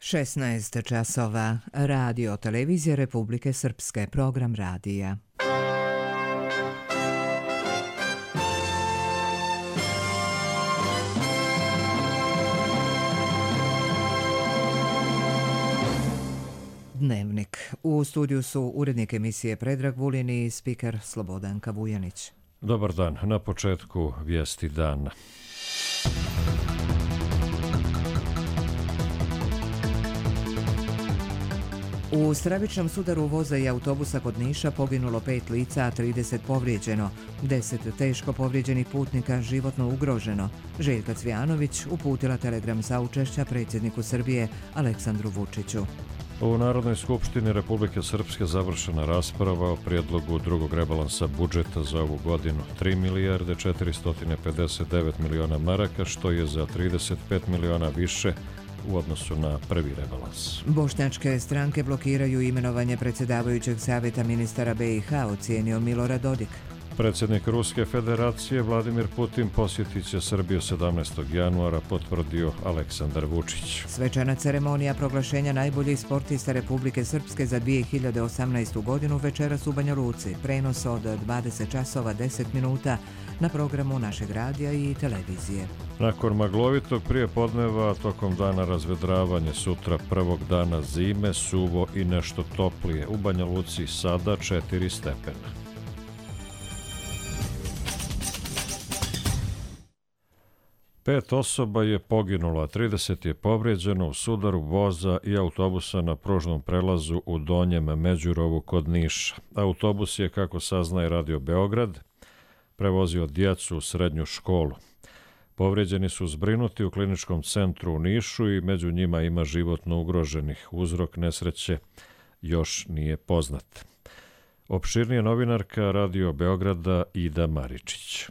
16 časova. Radio Televizije Republike Srpske. Program radija. Dnevnik. U studiju su urednik emisije Predrag Vulin i spiker Slobodanka Vujanić. Dobar dan. Na početku vijesti dana. U stravičnom sudaru voza i autobusa kod Niša poginulo 5 lica, a 30 povrijeđeno. 10 teško povrijeđenih putnika životno ugroženo. Željka Cvijanović uputila telegram saučešća predsjedniku Srbije Aleksandru Vučiću. U Narodnoj skupštini Republike Srpske završena rasprava o prijedlogu drugog rebalansa budžeta za ovu godinu. 3 milijarde 459 miliona maraka, što je za 35 miliona više u odnosu na prvi rebalans. Bošnjačke stranke blokiraju imenovanje predsjedavajućeg savjeta ministara BiH, ocijenio Milorad Dodik. Predsjednik Ruske federacije Vladimir Putin posjetit će Srbiju 17. januara, potvrdio Aleksandar Vučić. Svečana ceremonija proglašenja najboljih sportista Republike Srpske za 2018. godinu večeras u Banja Luci. Prenos od 20 časova 10 minuta na programu našeg radija i televizije. Nakon maglovitog prijepodneva, tokom dana razvedravanje, sutra prvog dana zime, suvo i nešto toplije. U Banja Luci sada 4 stepena. Pet osoba je poginulo, a 30 je povrijeđeno u sudaru voza i autobusa na pružnom prelazu u Donjem Međurovu kod Niša. Autobus je, kako saznaje Radio Beograd, prevozio djecu u srednju školu. Povrijeđeni su zbrinuti u kliničkom centru u Nišu i među njima ima životno ugroženih. Uzrok nesreće još nije poznat. Opširnije novinarka Radio Beograda Ida Maričić.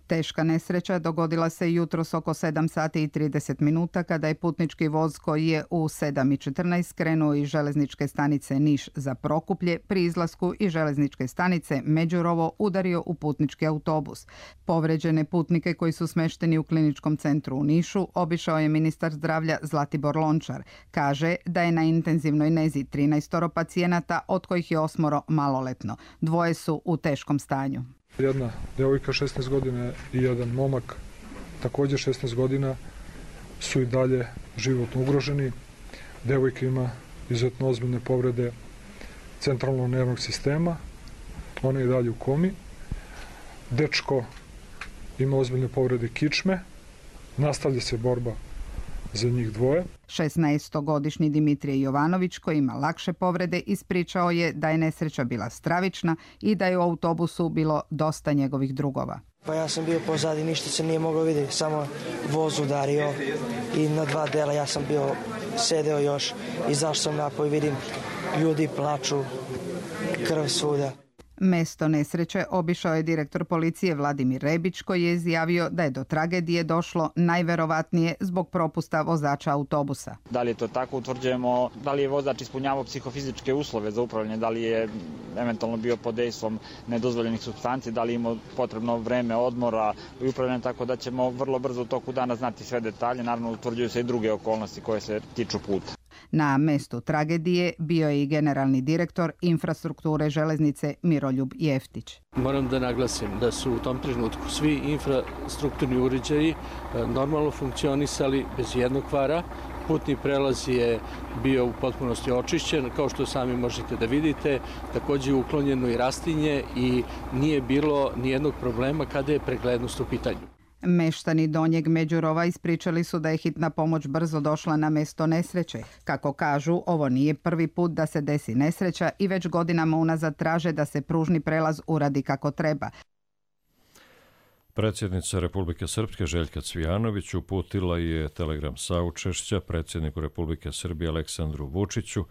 Teška nesreća dogodila se jutros oko 7 sati i 30 minuta kada je putnički voz koji je u 7:14 krenuo iz železničke stanice Niš za Prokuplje pri izlasku iz železničke stanice Međurovo udario u putnički autobus. Povređene putnike koji su smešteni u kliničkom centru u Nišu obišao je ministar zdravlja Zlatibor Lončar. Kaže da je na intenzivnoj nezi 13 pacijenata, od kojih je 8 maloletno. 2 su u teškom stanju. Jedna djevojka 16 godina i jedan momak također 16 godina su i dalje životno ugroženi. Djevojka ima izuzetno ozbiljne povrede centralnog nervnog sistema, ona je i dalje u komi. Dečko ima ozbiljne povrede kičme, nastavlja se borba za njih dvoje. 16-godišnji Dimitrije Jovanović, koji ima lakše povrede, ispričao je da je nesreća bila stravična i da je u autobusu bilo dosta njegovih drugova. Pa ja sam bio pozadi, ništa se nije moglo vidjeti, samo voz udario i na 2 dela ja sam bio sedeo još, izašao sam napoj, vidim ljudi plaču, krv svuda. Mesto nesreće obišao je direktor policije Vladimir Rebić, koji je izjavio da je do tragedije došlo najverovatnije zbog propusta vozača autobusa. Da li je to tako, utvrđujemo da li je vozač ispunjavao psihofizičke uslove za upravljanje, da li je eventualno bio pod dejstvom nedozvoljenih supstanci, da li imao potrebno vreme odmora i upravljanja, tako da ćemo vrlo brzo u toku dana znati sve detalje. Naravno, utvrđuju se i druge okolnosti koje se tiču puta. Na mestu tragedije bio je i generalni direktor infrastrukture železnice Miroljub Jeftić. Moram da naglasim da su u tom trenutku svi infrastrukturni uređaji normalno funkcionisali bez jednog kvara. Putni prelaz je bio u potpunosti očišćen, kao što sami možete da vidite. Također je uklonjeno i rastinje i nije bilo nijednog problema kada je preglednost u pitanju. Meštani Donjeg Međurova ispričali su da je hitna pomoć brzo došla na mesto nesreće. Kako kažu, ovo nije prvi put da se desi nesreća i već godinama unazad traže da se pružni prelaz uradi kako treba. Predsjednica Republike Srpske Željka Cvijanović uputila je telegram saučešća predsjedniku Republike Srbije Aleksandru Vučiću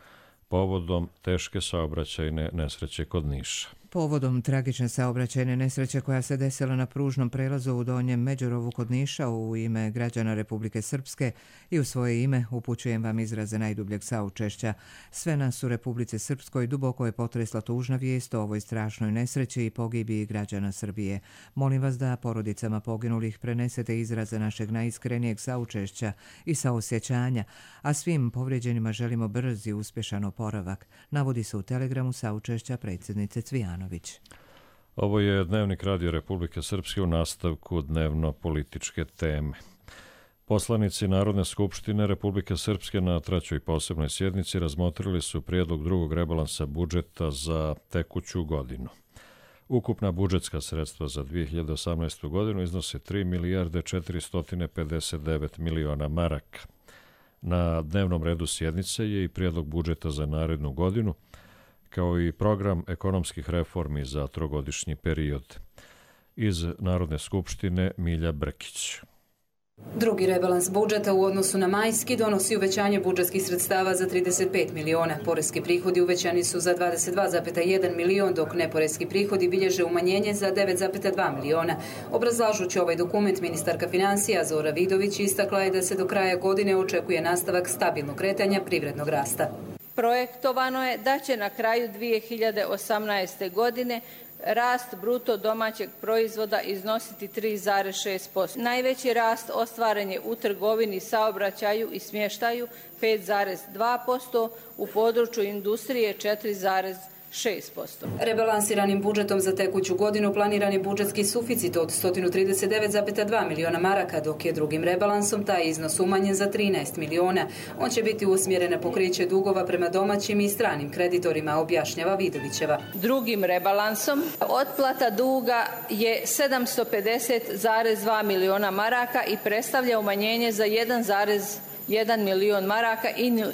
povodom teške saobraćajne nesreće kod Niša. Povodom tragične saobraćajne nesreće koja se desila na pružnom prelazu u Donjem Međurovu kod Niša u ime građana Republike Srpske i u svoje ime upućujem vam izraze najdubljeg saučešća. Sve nas u Republici Srpskoj duboko je potresla tužna vijest o ovoj strašnoj nesreći i pogibiji građana Srbije. Molim vas da porodicama poginulih prenesete izraze našeg najiskrenijeg saučešća i saosjećanja, a svim povrijeđenima želimo brz i uspješan oporavak, navodi se u telegramu saučešća predsjednice Cvijanović. Ovo je Dnevnik Radio Republike Srpske u nastavku dnevno-političke teme. Poslanici Narodne skupštine Republike Srpske na 3. posebnoj sjednici razmotrili su prijedlog drugog rebalansa budžeta za tekuću godinu. Ukupna budžetska sredstva za 2018. godinu iznose 3 milijarde 459 miliona maraka. Na dnevnom redu sjednice je i prijedlog budžeta za narednu godinu, kao i program ekonomskih reformi za trogodišnji period. Iz Narodne skupštine Milja Brkić. Drugi rebalans budžeta u odnosu na majski donosi uvećanje budžetskih sredstava za 35 miliona. Poreski prihodi uvećani su za 22,1 milion, dok neporeski prihodi bilježe umanjenje za 9,2 miliona. Obrazlažući ovaj dokument, ministarka financija Zora Vidović istakla je da se do kraja godine očekuje nastavak stabilnog kretanja privrednog rasta. Projektovano je da će na kraju 2018. godine rast bruto domaćeg proizvoda iznositi 3,6%. Najveći rast ostvaren je u trgovini, saobraćaju i smještaju 5,2%, u području industrije 4,6%. Rebalansiranim budžetom za tekuću godinu planiran je budžetski suficit od 139,2 miliona maraka, dok je drugim rebalansom taj iznos umanjen za 13 miliona. On će biti usmjeren na pokriće dugova prema domaćim i stranim kreditorima, objašnjava Vidovićeva. Drugim rebalansom otplata duga je 750,2 miliona maraka i predstavlja umanjenje za 1,1 milion maraka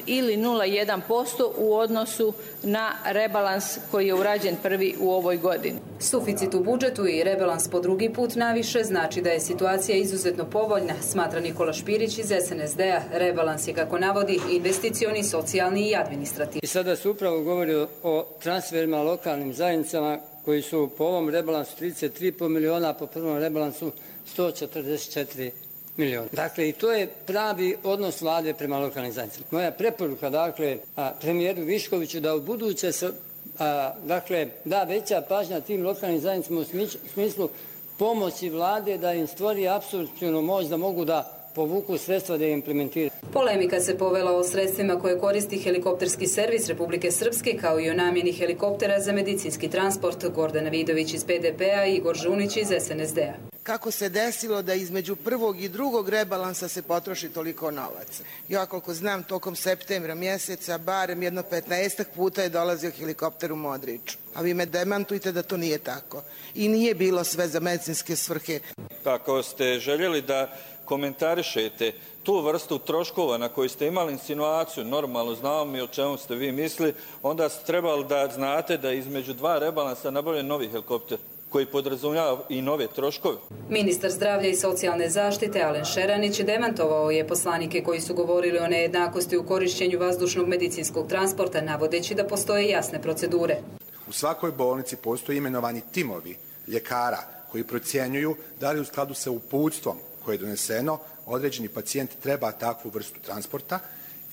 ili 0,1% u odnosu na rebalans koji je urađen prvi u ovoj godini. Suficit u budžetu i rebalans po drugi put naviše znači da je situacija izuzetno povoljna, smatra Nikola Špirić iz SNSD-a. Rebalans je, kako navodi, investicioni, socijalni i administrativni. I sada se upravo govori o transferima lokalnim zajednicama koji su po ovom rebalansu 33,5 miliona, a po prvom rebalansu 144 miliona. Dakle, i to je pravi odnos vlade prema lokalnim zajednicama. Moja preporuka, dakle, premijeru Viškoviću da u buduće se, da veća pažnja tim lokalnim zajednicama u smislu pomoći vlade da im stvori apsolutnu moć da mogu da povuku sredstva da je implementiraju. Polemika se povela o sredstvima koje koristi helikopterski servis Republike Srpske, kao i o namjeni helikoptera za medicinski transport. Gordana Vidović iz PDP-a i Igor Žunić iz SNSD-a. Kako se desilo da između prvog i drugog rebalansa se potroši toliko novaca? Ja koliko znam, tokom septembra mjeseca barem jedno 15 puta je dolazio helikopter u Modriču. A vi me demantujte da to nije tako. I nije bilo sve za medicinske svrhe. Ako ste željeli da komentarišete tu vrstu troškova na koju ste imali insinuaciju, normalno znamo mi o čemu ste vi mislili, onda ste trebali da znate da između dva rebalansa nabavljen novi helikopter koji podrazumijeva i nove troškove. Ministar zdravlja i socijalne zaštite Alen Šeranić demantovao je poslanike koji su govorili o nejednakosti u korišćenju vazdušnog medicinskog transporta, navodeći da postoje jasne procedure. U svakoj bolnici postoje imenovani timovi ljekara koji procjenjuju da li u skladu sa uputstvom koje je doneseno određeni pacijent treba takvu vrstu transporta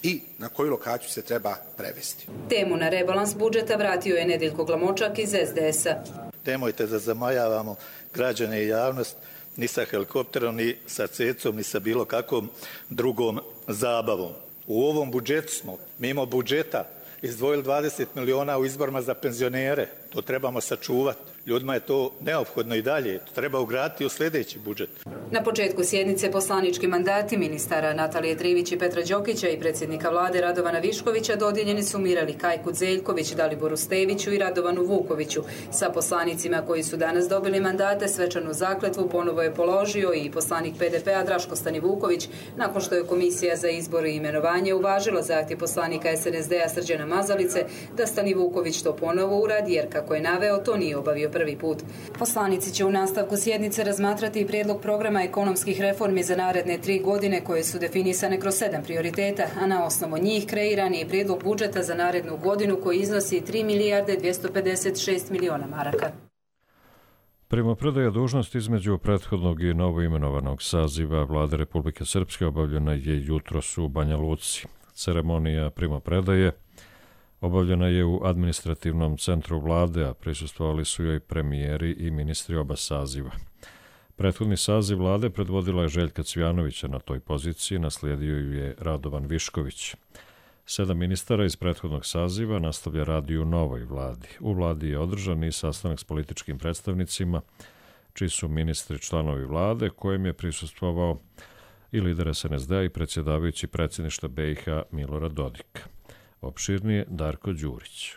i na koju lokaciju se treba prevesti. Temu na rebalans budžeta vratio je Nedeljko Glamočak iz SDS-a. Nemojte da zamajavamo građane i javnost ni sa helikopterom, ni sa cecom, ni sa bilo kakvom drugom zabavom. U ovom budžetu smo, mimo budžeta, izdvojili 20 miliona u izborima za penzionere. To trebamo sačuvati. Ljudima je to neophodno i dalje. To treba ugraditi u sljedeći budžet. Na početku sjednice poslanički mandati ministara Natalije Trivić i Petra Đokića i predsjednika vlade Radovana Viškovića dodijeljeni su Mirali Kajkut Zeljković, Daliboru Steviću i Radovanu Vukoviću. Sa poslanicima koji su danas dobili mandate svečanu zakletvu ponovo je položio i poslanik PDP-a Draško Stani Vuković, nakon što je Komisija za izbor i imenovanje uvažila zahtjev poslanika SNSD-a Srđana Mazalice da Stani Vuković to ponovo uradi, jer kako je naveo, to nije obavio prvi put. Poslanici će u nastavku sjednice razmatrati i prijedlog programa ekonomskih reformi za naredne 3 godine koje su definisane kroz 7 prioriteta, a na osnovu njih kreiran je prijedlog budžeta za narednu godinu koji iznosi 3 milijarde 256 miliona maraka. Primopredaja dužnosti između prethodnog i novoimenovanog saziva Vlade Republike Srpske obavljena je jutros u Banja Luci. Ceremonija primopredaje obavljena je u administrativnom centru vlade, a prisustvovali su joj premijeri i ministri oba saziva. Prethodni saziv vlade predvodila je Željka Cvijanovića na toj poziciji, naslijedio ju je Radovan Višković. 7 ministara iz prethodnog saziva nastavlja rad i u novoj vladi. U vladi je održan i sastanak s političkim predstavnicima, čiji su ministri članovi vlade, kojem je prisustvovao i lider SNSD-a i predsjedavajući predsjedništva BiH Milorad Dodik. Opširnije Darko Đurić.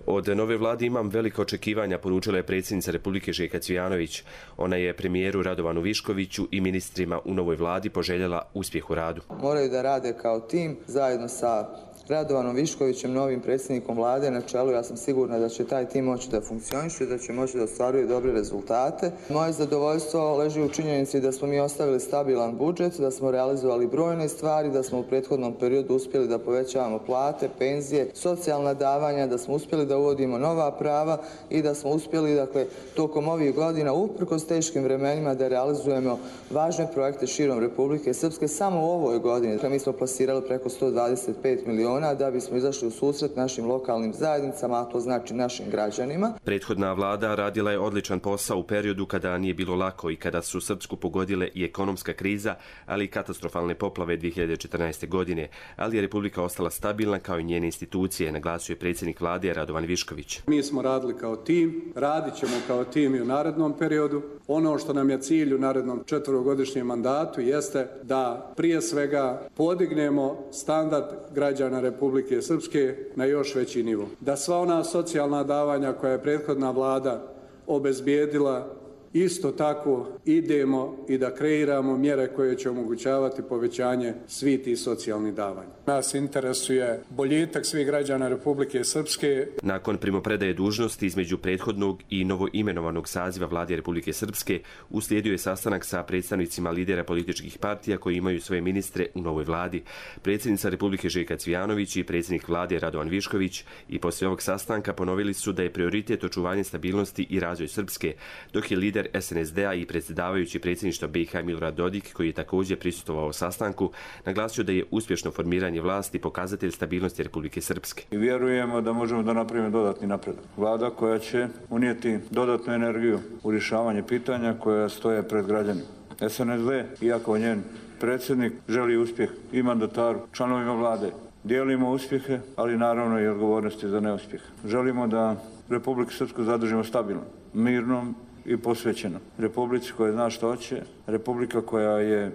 Od nove vlade imam velika očekivanja, poručila je predsjednica Republike Željka Cvijanović. Ona je premijeru Radovanu Viškoviću i ministrima u novoj vladi poželjela uspjeh u radu. Moraju da rade kao tim zajedno sa Radovanom Viškovićem, novim predsjednikom vlade na čelu. Ja sam sigurna da će taj tim moći da funkcioniše, da će moći da ostvaruje dobre rezultate. Moje zadovoljstvo leži u činjenici da smo mi ostavili stabilan budžet, da smo realizovali brojne stvari, da smo u prethodnom periodu uspjeli da povećavamo plate, penzije, socijalna davanja, da smo uspjeli da uvodimo nova prava i da smo uspjeli, dakle, tokom ovih godina, uprkos teškim vremenima, da realizujemo važne projekte širom Republike Srpske. Samo u ovoj godini mi smo plasirali preko 125 miliona da bismo izašli u susret našim lokalnim zajednicama, a to znači našim građanima. Prethodna vlada radila je odličan posao u periodu kada nije bilo lako i kada su Srpsku pogodile i ekonomska kriza, ali i katastrofalne poplave 2014. godine, ali je Republika ostala stabilna kao i njene institucije, naglasio je predsjednik vlade Radovan Višković. Mi smo radili kao tim, radit ćemo kao tim i u narednom periodu. Ono što nam je cilj u narednom 4-godišnjem mandatu jeste da prije svega podignemo standard građana Republike Srpske na još veći nivo. Da sva ona socijalna davanja koja je prethodna vlada obezbijedila, isto tako idemo i da kreiramo mjere koje će omogućavati povećanje svih tih socijalnih davanja. Nas interesuje boljitak svih građana Republike Srpske. Nakon primopredaje dužnosti između prethodnog i novoimenovanog saziva vlade Republike Srpske uslijedio je sastanak sa predstavnicima lidera političkih partija koji imaju svoje ministre u novoj vladi. Predsjednica Republike Željka Cvijanović i predsjednik vlade Radovan Višković i poslije ovog sastanka ponovili su da je prioritet očuvanje stabilnosti i razvoj Srpske, dok je lider SNSD-a i predsjedavajući predsjedništva BiH Milorad Dodik, koji je također prisustvovao sastanku, naglasio da je uspješno formiranje vlasti pokazatelj stabilnosti Republike Srpske. I vjerujemo da možemo da napravimo dodatni napredak. Vlada koja će unijeti dodatnu energiju u rješavanje pitanja koja stoje pred građanima. SNSD, iako njen predsjednik, želi uspjeh i mandataru, članovima vlade. Dijelimo uspjehe, ali naravno i odgovornosti za neuspjeh. Želimo da Republiku Srpsku zadržimo stabilnom, mirnom i posvećeno. Republici koja zna što hoće, Republika koja je,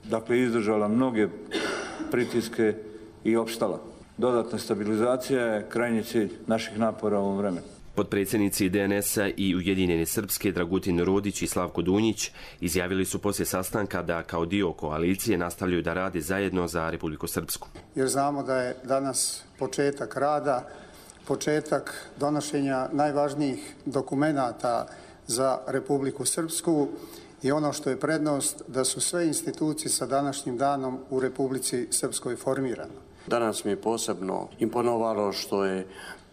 dakle, izdržala mnoge pritiske i opstala. Dodatna stabilizacija je krajnji cilj naših napora u ovom vremenu. Potpredsjednici DNS-a i Ujedinjene Srpske Dragutin Rodić i Slavko Dunjić izjavili su poslije sastanka da kao dio koalicije nastavljaju da rade zajedno za Republiku Srpsku. Jer znamo da je danas početak rada, početak donošenja najvažnijih dokumenata za Republiku Srpsku i ono što je prednost da su sve institucije sa današnjim danom u Republici Srpskoj formirane. Danas mi je posebno imponovalo što je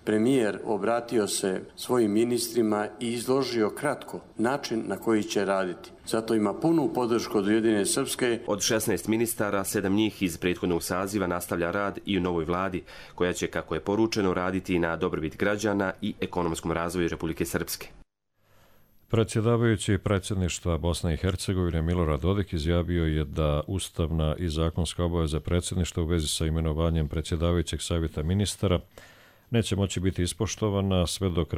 premijer obratio se svojim ministrima i izložio kratko način na koji će raditi. Zato ima punu podršku od Ujedinjene Srpske. Od 16 ministara, 7 njih iz prethodnog saziva nastavlja rad i u novoj vladi, koja će, kako je poručeno, raditi na dobrobit građana i ekonomskom razvoju Republike Srpske. Predsjedavajući predsjedništva Bosne i Hercegovine Milorad Dodik izjavio je da ustavna i zakonska obaveza predsjedništva u vezi sa imenovanjem predsjedavajućeg savjeta ministara neće moći biti ispoštovana sve dok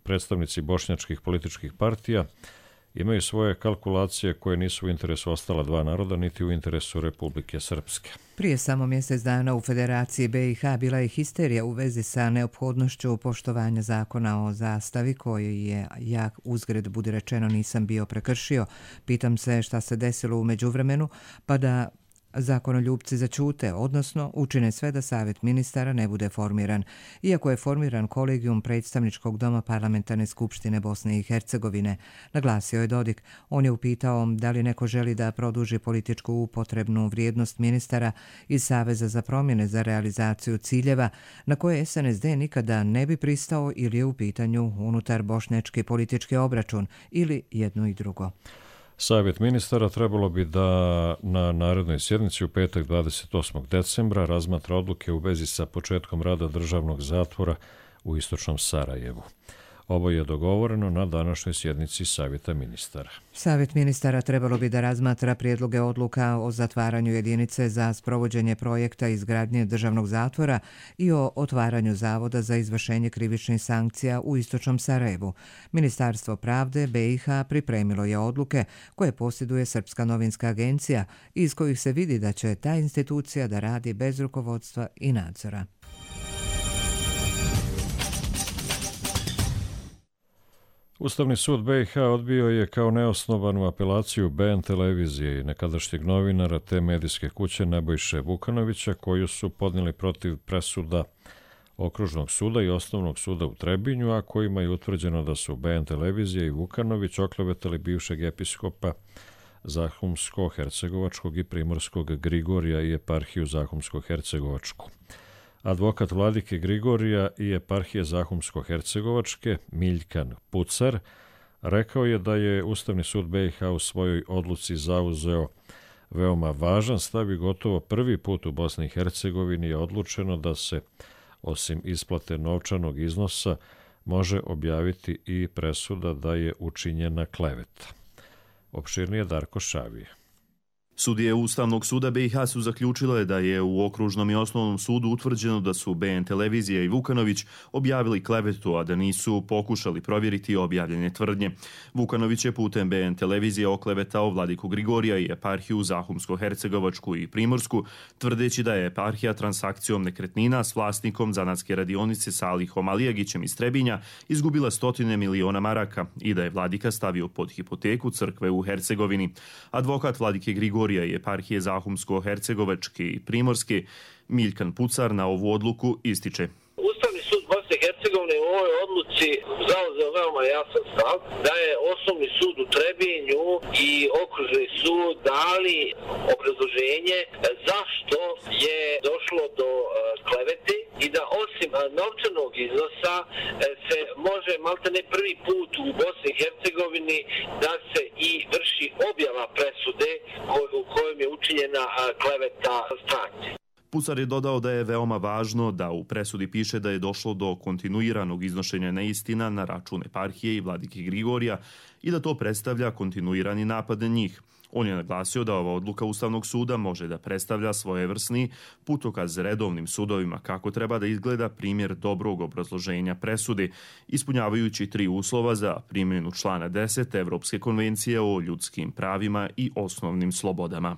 predstavnici bošnjačkih političkih partija imaju svoje kalkulacije koje nisu u interesu ostala dva naroda niti u interesu Republike Srpske. Prije samo mjesec dana u Federaciji BiH bila je histerija u vezi sa neophodnošću poštovanja zakona o zastavi koji je, ja uzgred budi rečeno, nisam bio prekršio. Pitam se šta se desilo u međuvremenu pa da Zakonoljupci zaćute, odnosno učine sve da Savjet ministara ne bude formiran, iako je formiran kolegijum predstavničkog doma Parlamentarne skupštine Bosne i Hercegovine, naglasio je Dodik. On je upitao da li neko želi da produži političku upotrebnu vrijednost ministara iz Saveza za promjene za realizaciju ciljeva na koje SNSD nikada ne bi pristao ili je u pitanju unutar bošnjački politički obračun ili jedno i drugo. Savjet ministara trebalo bi da na narednoj sjednici u petak 28. decembra razmatra odluke u vezi sa početkom rada državnog zatvora u istočnom Sarajevu. Ovo je dogovoreno na današnjoj sjednici Savjeta ministara. Savjet ministara trebalo bi da razmatra prijedloge odluka o zatvaranju jedinice za sprovođenje projekta izgradnje državnog zatvora i o otvaranju zavoda za izvršenje krivičnih sankcija u istočnom Sarajevu. Ministarstvo pravde BiH pripremilo je odluke koje posjeduje Srpska novinska agencija, iz kojih se vidi da će ta institucija da radi bez rukovodstva i nadzora. Ustavni sud BiH odbio je kao neosnovanu apelaciju BN televizije i nekadašnjeg novinara te medijske kuće Nebojše Vukanovića, koju su podnijeli protiv presuda Okružnog suda i Osnovnog suda u Trebinju, a kojima je utvrđeno da su BN televizija i Vukanović oklevetali bivšeg episkopa Zahumsko-hercegovačkog i primorskog Grigorija i eparhiju Zahumsko-hercegovačku. Advokat vladike Grigorija i eparhije Zahumsko-hercegovačke Miljkan Pucar rekao je da je Ustavni sud BiH u svojoj odluci zauzeo veoma važan stav i gotovo prvi put u Bosni i Hercegovini je odlučeno da se, osim isplate novčanog iznosa, može objaviti i presuda da je učinjena kleveta. Opširnije Darko Šavije. Sudije Ustavnog suda BiH su zaključile da je u Okružnom i Osnovnom sudu utvrđeno da su BN televizija i Vukanović objavili klevetu, a da nisu pokušali provjeriti objavljene tvrdnje. Vukanović je putem BN televizije oklevetao vladiku Grigorija i eparhiju Zahumsko-hercegovačku i primorsku, tvrdeći da je eparhija transakcijom nekretnina s vlasnikom zanatske radionice Salihom Alijagićem iz Trebinja izgubila 100 miliona maraka i da je vladika stavio pod hipoteku crkve u Hercegovini. Advokat vladike Grigorija i eparhije Zahumsko-hercegovačke i primorske Miljkan Pucar na ovu odluku ističe. Ustavni sud Bosne i Hercegovine u ovoj odluci zauzeo veoma jasan stav da je Osnovni sud u Trebinju i Okružni sud dali obrazloženje zašto je došlo do klevete i da osim novčanog iznosa se može maltene prvi put u Bosni i Hercegovini da se i vrši objava presude u kojoj je učinjena kleveta stranke. Pucar je dodao da je veoma važno da u presudi piše da je došlo do kontinuiranog iznošenja neistina na račun eparhije i vladike Grigorija i da to predstavlja kontinuirani napad na njih. On je naglasio da ova odluka Ustavnog suda može da predstavlja svojevrsni putokaz redovnim sudovima kako treba da izgleda primjer dobrog obrazloženja presude, ispunjavajući 3 uslova za primjenu člana 10 Evropske konvencije o ljudskim pravima i osnovnim slobodama.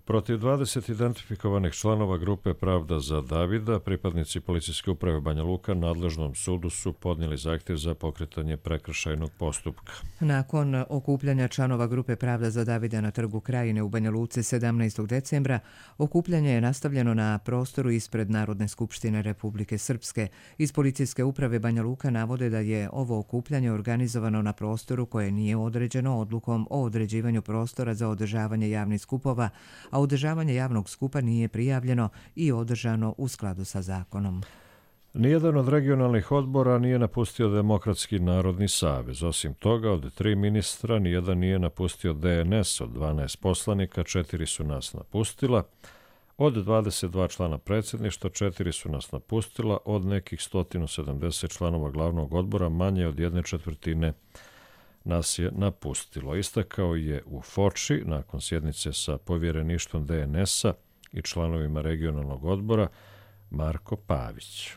Protiv 20 identifikovanih članova grupe Pravda za Davida, pripadnici policijske uprave Banja Luka nadležnom sudu su podnijeli zahtjev za pokretanje prekršajnog postupka. Nakon okupljanja članova grupe Pravda za Davida na Trgu Krajine u Banja Luci 17. decembra, okupljanje je nastavljeno na prostoru ispred Narodne skupštine Republike Srpske. Iz policijske uprave Banja Luka navode da je ovo okupljanje organizovano na prostoru koje nije određeno odlukom o određivanju prostora za održavanje javnih skupova, a održavanje javnog skupa nije prijavljeno i održano u skladu sa zakonom. Nijedan od regionalnih odbora nije napustio Demokratski narodni savez. Osim toga, od 3 ministra nijedan nije napustio DNS, od 12 poslanika 4 su nas napustila, od 22 člana predsjedništva 4 su nas napustila, od nekih 170 članova glavnog odbora manje od 1/4 nas je napustilo. Istakao je u Foči nakon sjednice sa povjereništvom DNS-a i članovima regionalnog odbora Marko Pavić.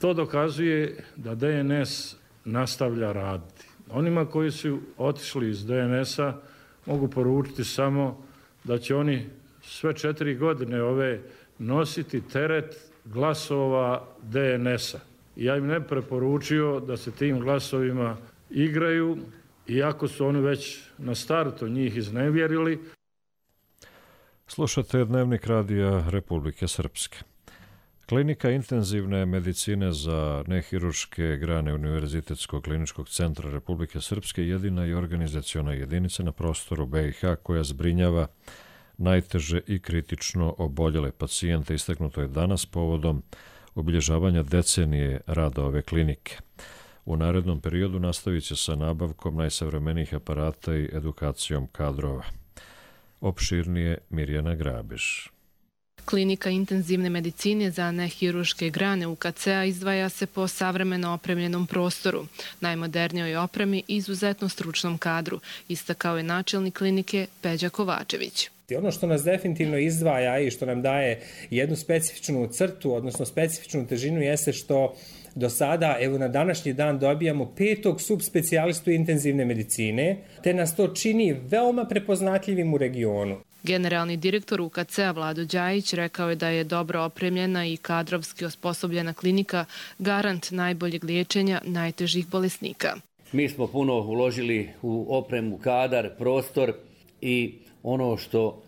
To dokazuje da DNS nastavlja raditi. Onima koji su otišli iz DNS-a mogu poručiti samo da će oni sve 4 godine ove nositi teret glasova DNS-a. Ja im ne preporučio da se tim glasovima igraju, iako su oni već na startu njih iznevjerili. Slušate Dnevnik radija Republike Srpske. Klinika intenzivne medicine za nehirurške grane Univerzitetskog kliničkog centra Republike Srpske jedina je organizaciona jedinica na prostoru BiH koja zbrinjava najteže i kritično oboljele pacijente. Istaknuto je danas povodom obilježavanja decenije rada ove klinike. U narednom periodu nastavit će sa nabavkom najsavremenijih aparata i edukacijom kadrova. Opširnije Mirjana Grabiš. Klinika intenzivne medicine za nehirurške grane UKC-a izdvaja se po savremeno opremljenom prostoru, najmodernijoj opremi i izuzetno stručnom kadru, istakao je načelnik klinike Peđa Kovačević. Ono što nas definitivno izdvaja i što nam daje jednu specifičnu crtu, odnosno specifičnu težinu, jeste što do sada, evo na današnji dan, dobijamo 5. subspecijalistu intenzivne medicine, te nas to čini veoma prepoznatljivim u regionu. Generalni direktor UKC-a Vlado Đajić rekao je da je dobro opremljena i kadrovski osposobljena klinika garant najboljeg liječenja najtežih bolesnika. Mi smo puno uložili u opremu, kadar, prostor i ono što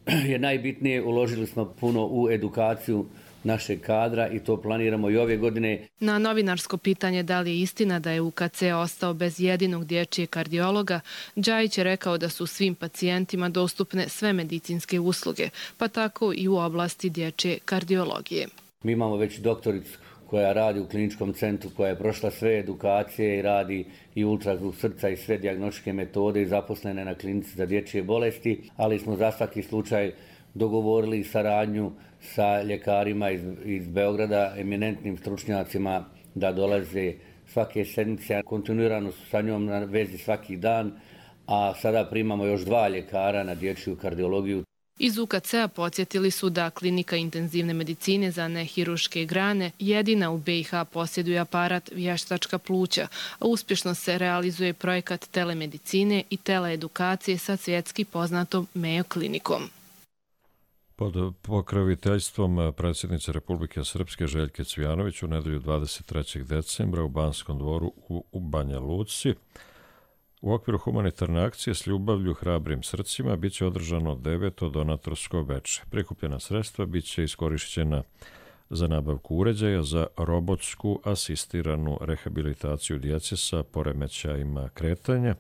je najbitnije, uložili smo puno u edukaciju našeg kadra i to planiramo i ove godine. Na novinarsko pitanje da li je istina da je UKC ostao bez jedinog dječjeg kardiologa, Đajić je rekao da su svim pacijentima dostupne sve medicinske usluge, pa tako i u oblasti dječje kardiologije. Mi imamo već doktoricu koja radi u kliničkom centru, koja je prošla sve edukacije i radi i ultrazvuk srca i sve dijagnostičke metode i zaposlene na klinici za dječje bolesti, ali smo za svaki slučaj dogovorili saradnju sa ljekarima iz Beograda, eminentnim stručnjacima da dolaze svake sedmice, kontinuirano su sa njom na vezi svaki dan, a sada primamo još 2 ljekara na dječju kardiologiju. Iz UKC-a podsjetili su da klinika intenzivne medicine za nehirurške grane jedina u BiH posjeduje aparat vještačka pluća, a uspješno se realizuje projekat telemedicine i teleedukacije sa svjetski poznatom Mayo klinikom. Pod pokroviteljstvom predsjednice Republike Srpske Željke Cvijanović u nedelju 23. decembra u Banskom dvoru u Banja Luci u okviru humanitarne akcije S ljubavlju hrabrim srcima bit će održano 9. donatorsko veče. Prikupljena sredstva bit će iskorišćena za nabavku uređaja za robotsku asistiranu rehabilitaciju djece sa poremećajima kretanja,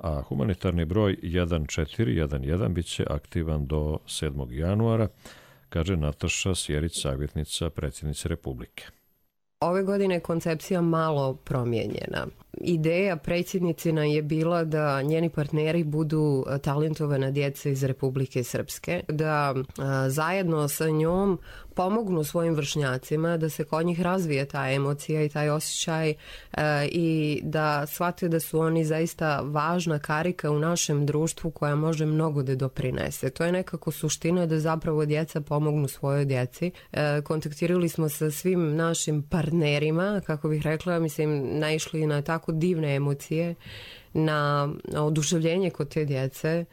a humanitarni broj 1411 bit će aktivan do 7. januara, kaže Nataša Sjerić, savjetnica predsjednice Republike. Ove godine je koncepcija malo promijenjena. Ideja predsjednicina je bila da njeni partneri budu talentovana djeca iz Republike Srpske, da zajedno sa njom pomognu svojim vršnjacima da se kod njih razvije ta emocija i taj osjećaj i da shvate da su oni zaista važna karika u našem društvu koja može mnogo da doprinese. To je nekako suština da zapravo djeca pomognu svojoj djeci. Kontaktirali smo sa svim našim partnerima, kako bih rekla, naišli na tako divne emocije, na oduševljenje kod te djece,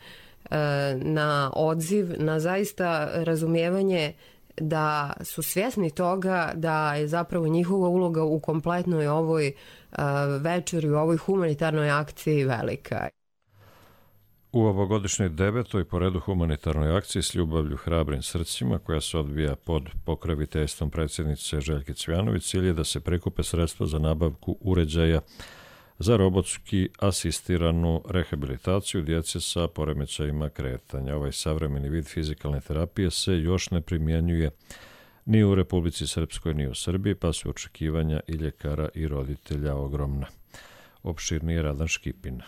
na odziv, na zaista razumijevanje da su svjesni toga da je zapravo njihova uloga u kompletnoj ovoj večeri, u ovoj humanitarnoj akciji velika. U ovogodišnjoj 9. po redu humanitarnoj akciji S ljubavlju hrabrim srcima, koja se odvija pod pokroviteljstvom predsjednice Željke Cvijanović, cilj je da se prikupe sredstva za nabavku uređaja za robotski asistiranu rehabilitaciju djece sa poremećajima kretanja. Ovaj savremeni vid fizikalne terapije se još ne primjenjuje ni u Republici Srpskoj ni u Srbiji, pa su očekivanja i ljekara i roditelja ogromna. Opširnije Radan Škipina.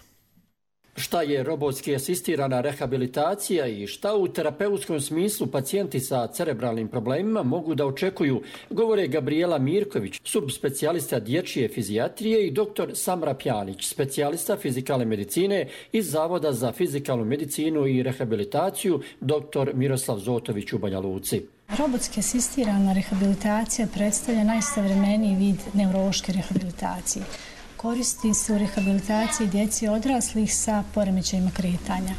Šta je robotski asistirana rehabilitacija i šta u terapeutskom smislu pacijenti sa cerebralnim problemima mogu da očekuju, govore Gabriela Mirković, subspecijalista dječje fizijatrije, i dr. Samra Pjanić, specijalista fizikalne medicine iz Zavoda za fizikalnu medicinu i rehabilitaciju dr. Miroslav Zotović u Banja Luci. Robotski asistirana rehabilitacija predstavlja najsavremeniji vid neurološke rehabilitacije. Koristi se u rehabilitaciji djeci i odraslih sa poremećajima kretanja.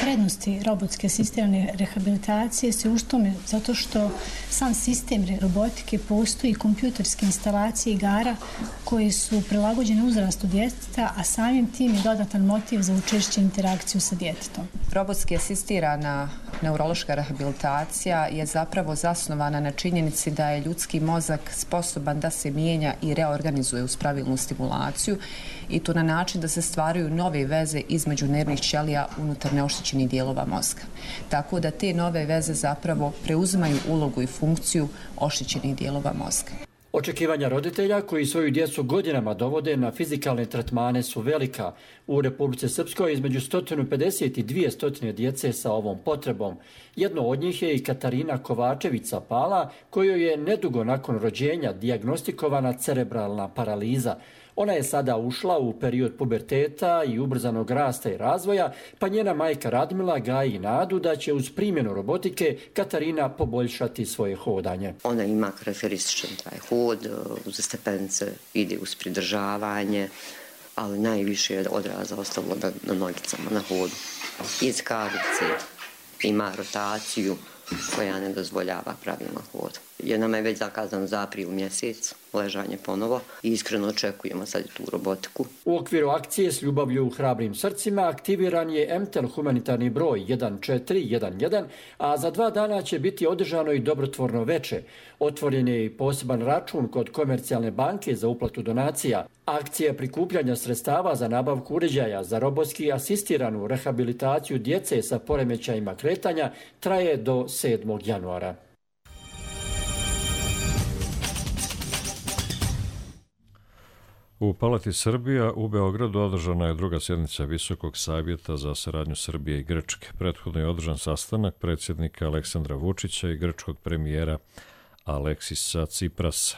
Prednosti robotske asistirane rehabilitacije se u tome zato što sam sistem robotike postoji kompjuterske instalacije igara koje su prilagođene uzrastu djeteta, a samim tim je dodatan motiv za učešće interakciju sa djetetom. Robotski asistirana neurološka rehabilitacija je zapravo zasnovana na činjenici da je ljudski mozak sposoban da se mijenja i reorganizuje uz pravilnu stimulaciju i to na način da se stvaraju nove veze između nervnih ćelija unutar neoštećenih dijelova mozga. Tako da te nove veze zapravo preuzimaju ulogu i funkciju oštećenih dijelova mozga. Očekivanja roditelja koji svoju djecu godinama dovode na fizikalne tretmane su velika. U Republici Srpskoj između 150 i 200 djece sa ovom potrebom. Jedno od njih je i Katarina Kovačević Pala, kojoj je nedugo nakon rođenja dijagnostikovana cerebralna paraliza. Ona je sada ušla u period puberteta i ubrzanog rasta i razvoja, pa njena majka Radmila gaji nadu da će uz primjenu robotike Katarina poboljšati svoje hodanje. Ona ima karakterističan taj hod, uz stepence ide uz pridržavanje, ali najviše je odraza ostalo na nogicama, na hodu. Iz kavice ima rotaciju koja ne dozvoljava pravilno hod. Jer nama je već zakazano za april mjesec ležanje ponovo i iskreno očekujemo sad tu robotiku. U okviru akcije S ljubavlju u hrabrim srcima aktiviran je MTEL humanitarni broj 1411, a za 2 dana će biti održano i dobrotvorno veče. Otvoren je i poseban račun kod Komercijalne banke za uplatu donacija. Akcija prikupljanja sredstava za nabavku uređaja za robotski asistiranu rehabilitaciju djece sa poremećajima kretanja traje do 7. januara. U Palati Srbija u Beogradu održana je 2. sjednica Visokog savjeta za saradnju Srbije i Grčke. Prethodno je održan sastanak predsjednika Aleksandra Vučića i grčkog premijera Aleksisa Ciprasa.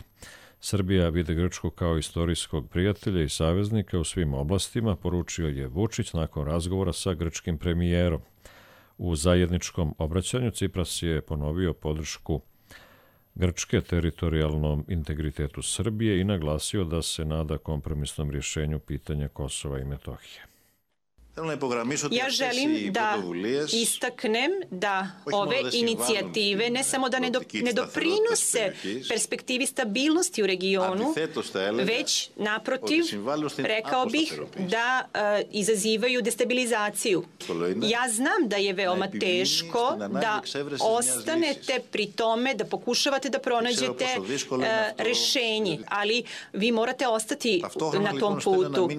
Srbija vidi Grčku kao istorijskog prijatelja i saveznika u svim oblastima, poručio je Vučić nakon razgovora sa grčkim premijerom. U zajedničkom obraćanju Cipras je ponovio podršku Grčke teritorijalnom integritetu Srbije i naglasio da se nada kompromisnom rješenju pitanja Kosova i Metohije. Ja želim da istaknem da ove inicijative ne samo da ne doprinose perspektivi stabilnosti u regionu, već naprotiv, rekao bih da izazivaju destabilizaciju. Ja znam da je veoma teško da ostanete pri tome, da pokušavate da pronađete rješenje, ali vi morate ostati na tom putu.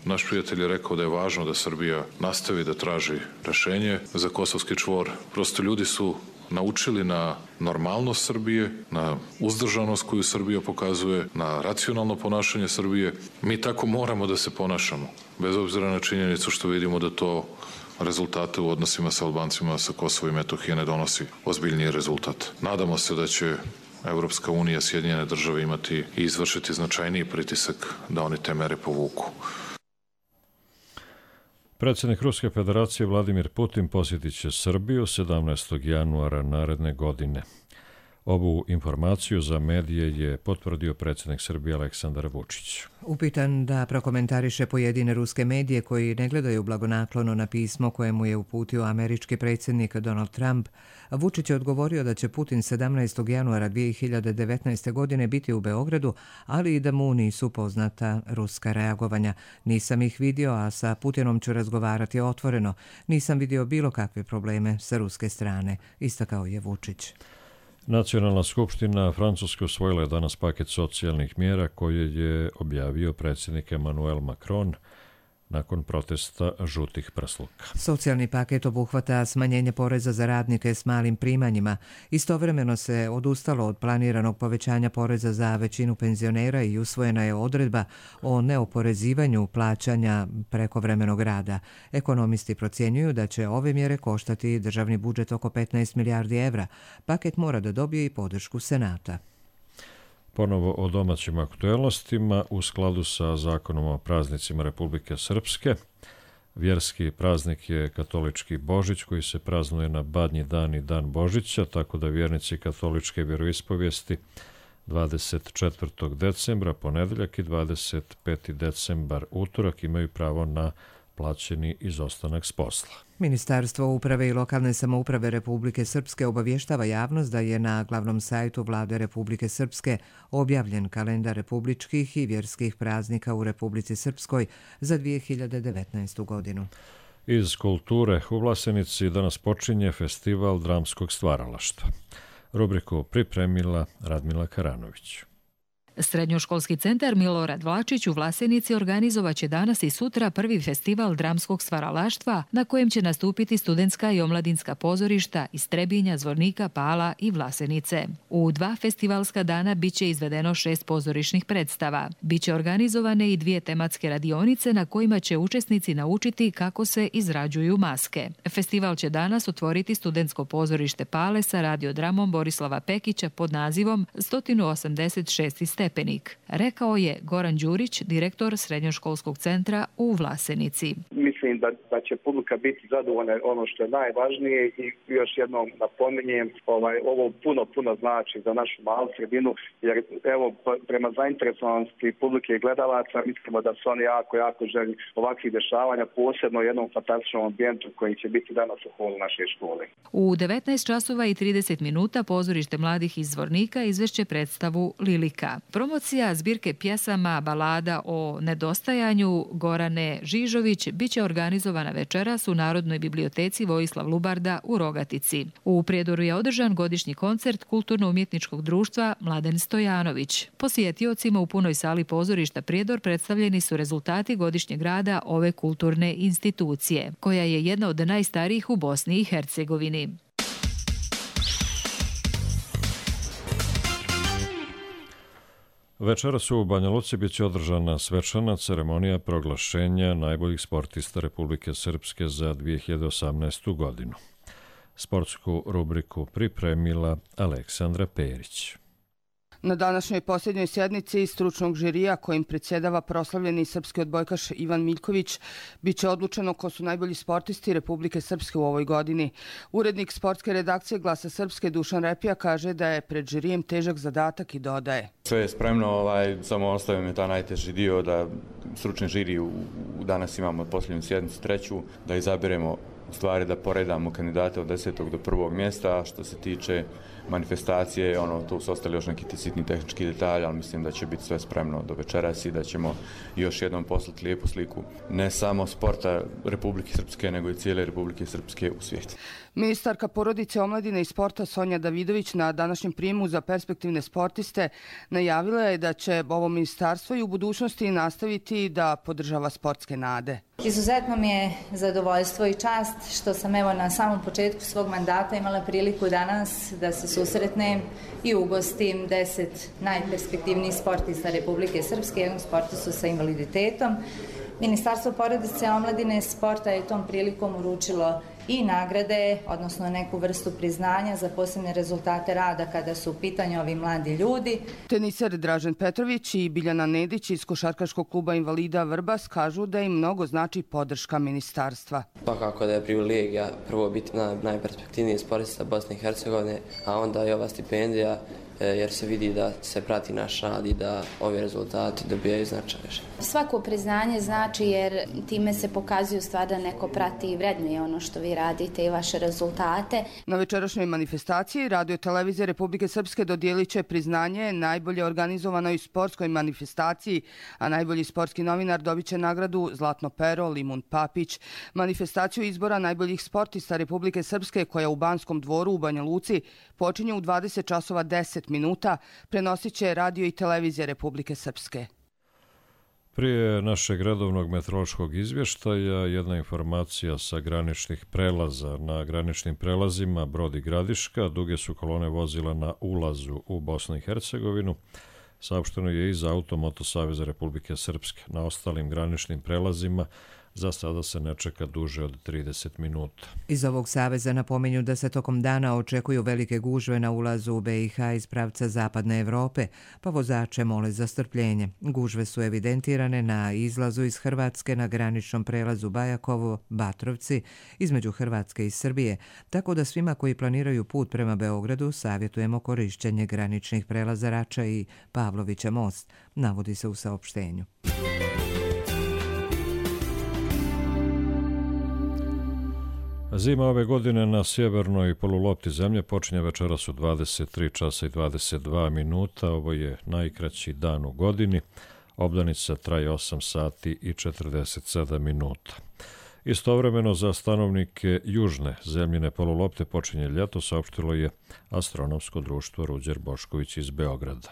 Naš prijatelj je rekao da je važno da Srbija nastavi da traži rešenje za kosovski čvor. Prosto ljudi su naučili na normalnost Srbije, na uzdržanost koju Srbija pokazuje, na racionalno ponašanje Srbije. Mi tako moramo da se ponašamo, bez obzira na činjenicu što vidimo da to rezultate u odnosima sa Albancima sa Kosova i Metohije ne donosi ozbiljniji rezultat. Nadamo se da će Evropska unija, Sjedinjene države imati i izvršiti značajniji pritisak da oni te mere povuku. Predsjednik Ruske federacije Vladimir Putin posjetit će Srbiju 17. januara naredne godine. Ovu informaciju za medije je potvrdio predsjednik Srbije Aleksandar Vučić. Upitan da prokomentariše pojedine ruske medije koji ne gledaju blagonaklono na pismo koje mu je uputio američki predsjednik Donald Trump, Vučić je odgovorio da će Putin 17. januara 2019. godine biti u Beogradu, ali i da mu nisu poznata ruska reagovanja. Nisam ih vidio, a sa Putinom ću razgovarati otvoreno. Nisam vidio bilo kakve probleme sa ruske strane, istakao je Vučić. Nacionalna skupština Francuske usvojila je danas paket socijalnih mjera koje je objavio predsjednik Emmanuel Macron nakon protesta žutih prsluka. Socijalni paket obuhvata smanjenje poreza za radnike s malim primanjima. Istovremeno se odustalo od planiranog povećanja poreza za većinu penzionera i usvojena je odredba o neoporezivanju plaćanja prekovremenog rada. Ekonomisti procjenjuju da će ove mjere koštati državni budžet oko 15 milijardi evra. Paket mora da dobije i podršku Senata. Ponovo o domaćim aktuelnostima u skladu sa zakonom o praznicima Republike Srpske. Vjerski praznik je katolički Božić koji se praznuje na Badnji dan i dan Božića, tako da vjernici katoličke vjeroispovijesti 24. decembra, ponedeljak i 25. decembar, utorak, imaju pravo na plaćeni izostanak s posla. Ministarstvo uprave i lokalne samouprave Republike Srpske obavještava javnost da je na glavnom sajtu Vlade Republike Srpske objavljen kalendar republičkih i vjerskih praznika u Republici Srpskoj za 2019. godinu. Iz kulture u Vlasenici danas počinje festival dramskog stvaralaštva. Rubriku pripremila Radmila Karanović. Srednjoškolski centar Milorad Vlačić u Vlasenici organizovaće danas i sutra prvi festival dramskog stvaralaštva na kojem će nastupiti studentska i omladinska pozorišta iz Trebinja, Zvornika, Pala i Vlasenice. U 2 festivalska dana biće izvedeno 6 pozorišnih predstava. Biće organizovane i 2 tematske radionice na kojima će učesnici naučiti kako se izrađuju maske. Festival će danas otvoriti studentsko pozorište Pale sa radiodramom Borislava Pekića pod nazivom 186. stepenik, rekao je Goran Đurić, direktor Srednjoškolskog centra u Vlasenici. Mislim da će publika biti zadovoljna, ono što je najvažnije, i još jednom napominjem, ovo puno znači za našu malu sredinu, jer evo prema zainteresovanosti publike i gledalaca mislimo da su oni jako željni ovakvih dešavanja, posebno u jednom fantastičnom ambijentu koji će biti danas u holu naše škole. U 19 časova i 30 minuta pozorište mladih iz Zvornika izvešće predstavu Lilika. Promocija zbirke pjesama balada o nedostajanju Gorane Žižović biće organizovana večeras u Narodnoj biblioteci Vojislav Lubarda u Rogatici. U Prijedoru je održan godišnji koncert Kulturno-umjetničkog društva Mladen Stojanović. Posjetiocima u punoj sali pozorišta Prijedor predstavljeni su rezultati godišnjeg rada ove kulturne institucije, koja je jedna od najstarijih u Bosni i Hercegovini. Večeras u Banja Luci biće održana svečana ceremonija proglašenja najboljih sportista Republike Srpske za 2018. godinu. Sportsku rubriku pripremila Aleksandra Perić. Na današnjoj posljednjoj sjednici stručnog žirija kojim predsjedava proslavljeni srpski odbojkaš Ivan Miljković biće odlučeno ko su najbolji sportisti Republike Srpske u ovoj godini. Urednik sportske redakcije Glasa Srpske Dušan Repija kaže da je pred žirijem težak zadatak i dodaje. Sve je spremno, samo ostavim je ta najteži dio da stručni žiri danas imamo posljednju sjednicu 3. da izabiremo stvari da poredamo kandidate od 10. do 1. mjesta, a što se tiče manifestacije, tu su ostali još neki sitni tehnički detalji, ali mislim da će biti sve spremno do večeras i da ćemo još jednom poslati lijepu sliku ne samo sporta Republike Srpske, nego i cijele Republike Srpske u svijetu. Ministarka porodice, omladine i sporta Sonja Davidović na današnjem prijemu za perspektivne sportiste najavila je da će ovo ministarstvo i u budućnosti nastaviti da podržava sportske nade. Izuzetno mi je zadovoljstvo i čast što sam na samom početku svog mandata imala priliku danas da se susretnem i ugostim 10 najperspektivnijih sportista Republike Srpske, jednog sportistu sa invaliditetom. Ministarstvo porodice, omladine i sporta je tom prilikom uručilo i nagrade, odnosno neku vrstu priznanja za posebne rezultate rada kada su u pitanju ovi mladi ljudi. Teniser Dražen Petrović i Biljana Nedić iz Košarkaškog kluba invalida Vrbas kažu da im mnogo znači podrška ministarstva. Pa kako da je privilegija prvo biti najperspektivniji sportista Bosne i Hercegovine, a onda i ova stipendija, jer se vidi da se prati naš rad i da ovi rezultati dobijaju značaj. Svako priznanje znači jer time se pokazuje stvar da neko prati i vrednuje ono što vi radite i vaše rezultate. Na večerašnjoj manifestaciji Radio Televizija Republike Srpske dodijelit će priznanje najbolje organizovanoj sportskoj manifestaciji, a najbolji sportski novinar dobit će nagradu Zlatno pero Limun Papić. Manifestaciju izbora najboljih sportista Republike Srpske, koja u Banskom dvoru u Banja Luci počinje u 20 časova 10 minuta, prenosit će Radio i Televizija Republike Srpske. Prije našeg redovnog meteorološkog izvještaja jedna informacija sa graničnih prelaza. Na graničnim prelazima Brod i Gradiška duge su kolone vozila na ulazu u Bosnu i Hercegovinu. Saopšteno je iz Automoto Saveza Republike Srpske. Na ostalim graničnim prelazima za sada se ne čeka duže od 30 minuta. Iz ovog saveza napominju da se tokom dana očekuju velike gužve na ulazu u BiH iz pravca Zapadne Evrope, pa vozače mole za strpljenje. Gužve su evidentirane na izlazu iz Hrvatske na graničnom prelazu Bajakovo-Batrovci između Hrvatske i Srbije, tako da svima koji planiraju put prema Beogradu savjetujemo korišćenje graničnih prelaza Rača i Pavlovića most, navodi se u saopštenju. Zima ove godine na sjevernoj polulopti zemlje počinje večeras u 23 časa i 22 minuta. Ovo je najkraći dan u godini. Obdanica traje 8 sati i 47 minuta. Istovremeno za stanovnike južne zemljine polulopte počinje ljeto, saopštilo je Astronomsko društvo Ruđer Bošković iz Beograda.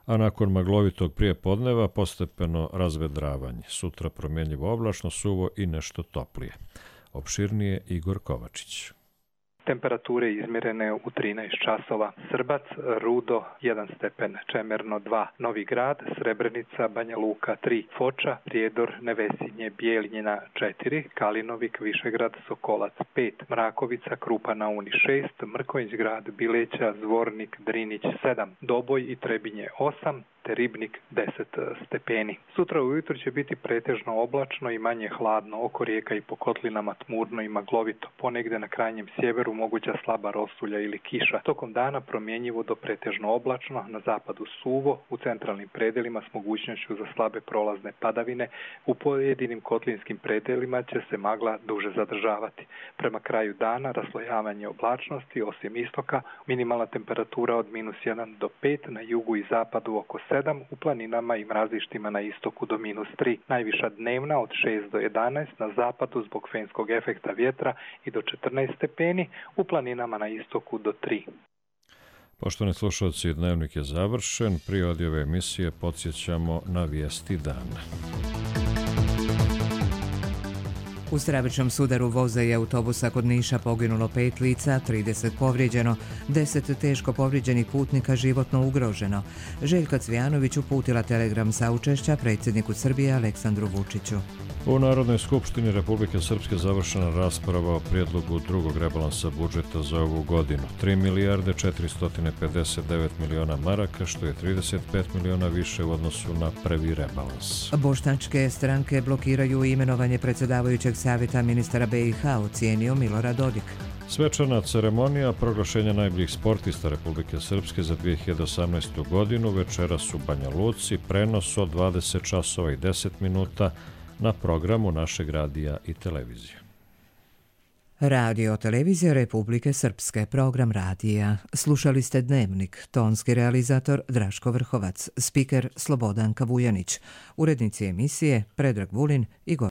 A nakon maglovitog prijepodneva postepeno razvedravanje. Sutra promjenjivo oblačno, suvo i nešto toplije. Opširnije Igor Kovačić. Temperature izmjerene u 13 časova. Srbac, Rudo 1 stepen, Čemerno 2, Novi Grad, Srebrenica, Banja Luka 3, Foča, Prijedor, Nevesinje, Bijeljina 4, Kalinovik, Višegrad, Sokolac 5, Mrakovica, Krupa na Uni 6, Mrkonjić Grad, Bileća, Zvornik, Drinić 7, Doboj i Trebinje 8, te Ribnik 10 stepeni. Sutra ujutro će biti pretežno oblačno i manje hladno, oko rijeka i po kotlinama tmurno i maglovito, ponegde na krajnjem sjeveru moguća slaba rosulja ili kiša. Tokom dana promjenjivo do pretežno oblačno, na zapadu suvo, u centralnim predelima s mogućnošću za slabe prolazne padavine, u pojedinim kotlinskim predelima će se magla duže zadržavati. Prema kraju dana raslojavanje oblačnosti, osim istoka, minimalna temperatura od -1 do 5, na jugu i zapadu oko 7, u planinama i mrazištima na istoku do -3. Najviša dnevna od 6 do 11, na zapadu zbog fenskog efekta vjetra i do 14 stepeni, u planinama na istoku do 3. Poštovani slušalci, dnevnik je završen. Prije ove emisije podsjećamo na vijesti dana. U stravičnom sudaru voza i autobusa kod Niša poginulo 5 lica, 30 povrijeđeno, 10 teško povrijeđenih putnika životno ugroženo. Željka Cvijanović uputila telegram saučešća predsjedniku Srbije Aleksandru Vučiću. U Narodnoj skupštini Republike Srpske završena rasprava o prijedlogu drugog rebalansa budžeta za ovu godinu. 3 milijarde 459 miliona maraka, što je 35 miliona više u odnosu na prvi rebalans. Bošnjačke stranke blokiraju imenovanje predsjedavajućeg savjeta ministara BiH, ocijenio Milorad Dodik. Svečana ceremonija proglašenja najboljih sportista Republike Srpske za 2018. godinu večeras u Banja Luci, prenos od 20 časova i 10 minuta na programu našeg radija i televizije. Radio televizija Republike Srpske, program radija. Slušali ste Dnevnik, tonski realizator Draško Vrhovac, spiker Slobodanka Vujanić, urednici emisije Predrag Vulin i